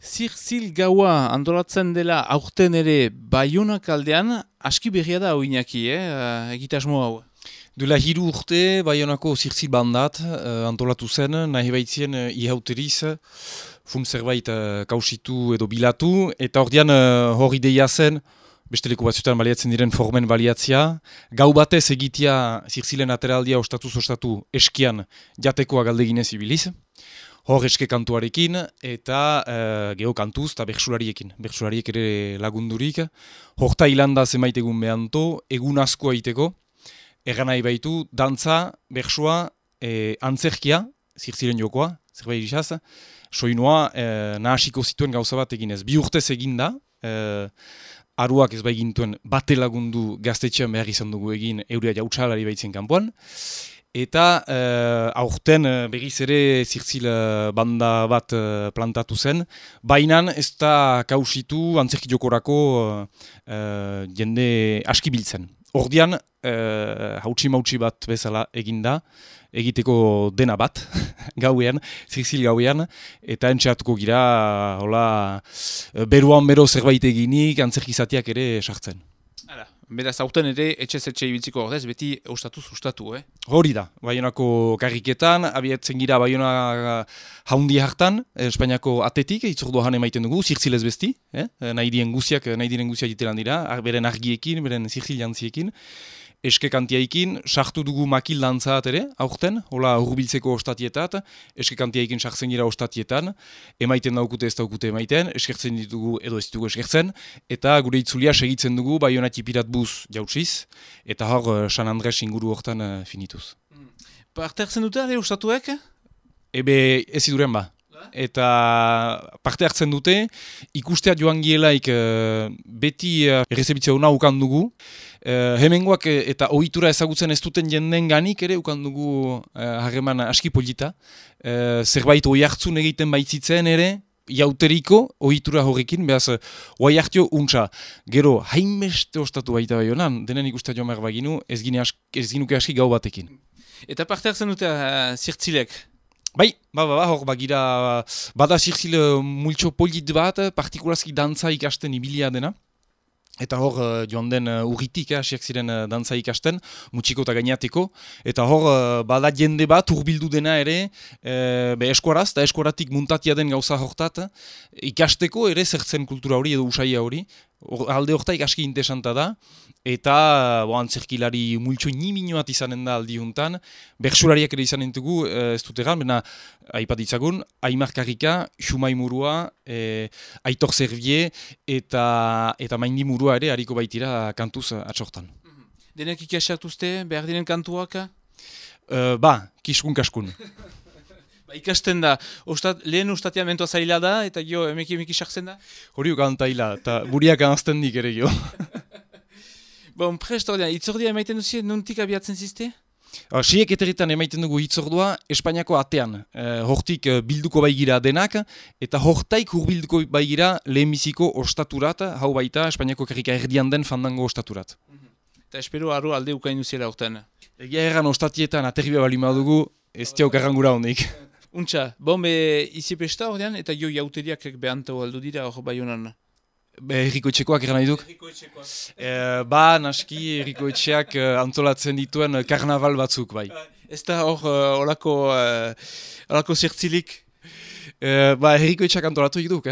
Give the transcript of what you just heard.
Zirtzil gaua antolatzen dela aurten ere Baionak aldean, aski berria da hau Iñaki, egitasmo hau. Duela 3 urte, Baionako zirtzil bandat antolatu zen, nahi baitzien ihauteriz, fun zerbait kausitu edo bilatu, eta ordean hor ideia zen, beste leku batzuetan baliatzen diren formen baliatzia, gau batez egitea zirtzilen ateraldia ostatu eskian jatekoa galdeginez ibiliz, hor eske kantuarekin eta geho kantuz eta bertsulariekin. Bertsulariek ere lagundurik. Horta hilanda zenbait egun behanto, egun asko aiteko. Egan nahi baitu, dantza, bertsua, antzerkia, zirtzilen jokoa, zerbait izaz, soinua nahasiko zituen gauza bat eginez. 2 urtez eginda, aruak ez baigintuen bate lagundu gaztetxean behar izan dugu egin euria jautsalari baitzen kanpoan. Eta aurten berriz ere zirtzil banda bat plantatu zen, baina ez da kausitu antzerki jokorako jende aski biltzen. Ordian, hautsi-mautsi bat bezala eginda, egiteko dena bat, gauean, zirtzil gauean, eta entxeatuko gira, beruan bero zerbait eginik, antzerkizatiak ere sartzen. Beraz, aurten ere etxe ibiltziko ordez, beti ustatu. Hori da, Baionako karriketan, abiatzen gira Baiona haundi hartan, Espainiako atetik, itzordoan emaiten dugu, zirtzilez besti, nahi diren guziak jitelan dira, beren argiekin, beren zirtzil jantziekin, eske kantiaikin, sartu dugu makil dantzat ere, aurten, hola hurbiltzeko ostatietat, eske kantiaikin sartzen gira ostatietan, emaiten daukute ez daukute emaiten, eskertzen ditugu edo ez ditugu eskertzen, eta gure itzulia segitzen dugu Baiona tipirat buz jautsiz, eta hor San Andres inguru hortan finituz. Parte hartzen dute, ere ustatuek? Ebe ez iduren ba. Eta parte hartzen dute, ikustea joan gielaik beti errezebitzea hona ukan dugu. Hemengoak eta ohitura ezagutzen ez duten jenden ganik ere ukan dugu harreman aski polita. Zerbait oi hartzun egiten baitzitzen ere, jauteriko ohitura horrekin, behaz oai hartio untsa. Gero, hainbeste ostatu baita Baionan, denen ikustea joan behar baginu, ez ginuke aski gau batekin. Eta parte hartzen dute zirtzilek? Bai, hor bagira, bada zirtzil multxo polit bat, partikulazki dantza ikasten ibilia dena. Eta hor joan den urritik, hasiak ziren dantza ikasten, mutxiko eta gainateko. Eta hor bada jende bat urbildu dena ere eskuaraz, eta eskuaratik muntatia den gauza hortat, ikasteko ere zertzen kultura hori edo usaia hori. Alde hortaik aski interesanta da, eta antzerkilari multxo nimino bat izanen da aldi juntan, bertsulariak ere izanen dugu, ez dut egan, bena aipat ditzagun, Aimar Karrika, Xumai Murua, Aitor Zerbie, eta Maindi Murua ere hariko baitira kantuz atxortan. Denek ikasatuzte, behar diren kantuak? Kiskun-kaskun. Ikasten da, lehen ustatia mentoa zaila da, eta jo emeki sartzen da? Hori ukantaila, eta buriak anazten dik ere jo. Prest ordean, itzordia emaiten duzien, nuntik abiatzen zizte? Siek eteritan emaiten dugu hitzordua Espainiako atean. Hortik bilduko baigira denak, eta hortaik hurbilduko baigira lehenbiziko ostaturat, hau baita Espainiako karrika erdian den fandango ostaturat. Eta espero arro alde ukain duziela horten. Egia erran ostatietan aterribia bali madugu, ez tiauk errangura hondik. Untxa, izipesta ordean, eta jo jauteriak behantau aldo dira hor Baionan. Herrikoetxekoak eran nahi duk? Herrikoetxekoak. Naski herrikoetxeak antolatzen dituen karnaval batzuk, bai. Ez da hor olako zirtzilik? Herrikoetxeak antolatu duk,